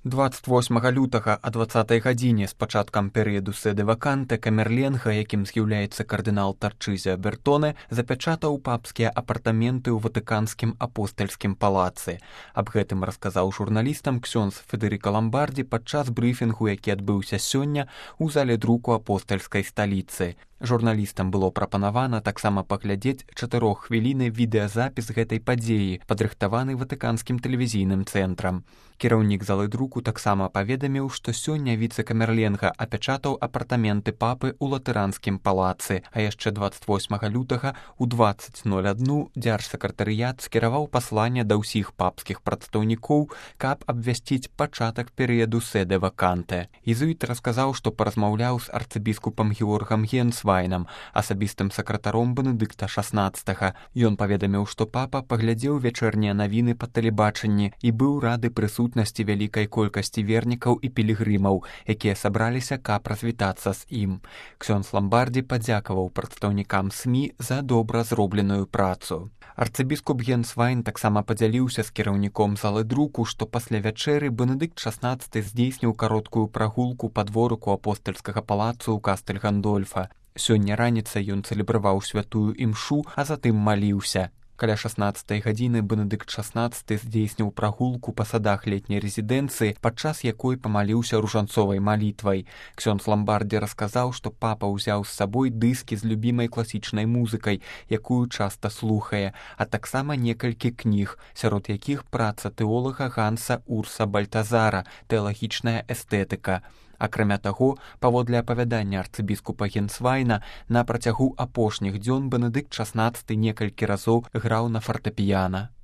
28 лютага о 20 гадзіне з пачаткам перыяду седы ваканте Камерленга, якім з'яўляецца кардынал Тарчызіа Бертоне, запячатаў папскія апартаменты ў ватыканскім апостальскім палацы. Аб гэтым расказаў журналістам ксёндз Федэрыка Ламбардзі падчас брыфінгу, які адбыўся сёння ў зале друку апостальскай сталіцы. Журналістам было прапанавана таксама паглядзець 4-хвілінны відэазапіс гэтай падзеі, падрыхтаваны ватыканскім тэлевізійным цэнтрам. Кіраўнік залы друку таксама паведаміў, што сёння віцэ-камерленга апячатаў апартаменты папы ў латыранскім палацы, а яшчэ 28 лютага ў 20:01 дзяржсакратарыят скіраваў пасланне да ўсіх папскіх прадстаўнікоў, каб абвясціць пачатак перыяду седы ваканте. Езуіт расказаў, што паразмаўляў з арцыбіскупам Георгам Генсвайнам, асабістым сакратаром Бенедыкта XVI. Ён паведаміў, што папа паглядзеў вечэрнія навіны па тэлебачанні і быў рады прысутнасці вялікай колькасці вернікаў і пілігрымаў, якія сабраліся, каб развітацца з ім. Ксёндз Ламбардзі падзякаваў прадстаўнікам СМІ за добра зробленую працу. Арцыбіскуп Генсвайн таксама падзяліўся з кіраўніком залы друку, што пасля вячэры Бенедыкт XVI здзейсніў кароткую прагулку па дворыку апостальскага палацу ў Кастэль Гандольфа. Сёння раніцай ён цэлебраваў святую імшу, а затым маліўся. Каля 16 гадзіны Бенедыкт XVI здзейсніў прагулку па садах летняй рэзідэнцыі, падчас якой памаліўся ружанцовай малітвай. Ксёндз Ламбардзі расказаў, што папа ўзяў з сабой дыскі з любімай класічнай музыкай, якую часта слухае, а таксама некалькі кніг, сярод якіх праца тэолага Ганса Урса Бальтазара «Тэалагічная эстэтыка». Акрамя таго, паводле апавядання арцыбіскупа Генсвайна, на працягу апошніх дзён Бенедыкт XVI некалькі разоў граў на фартэпіяна.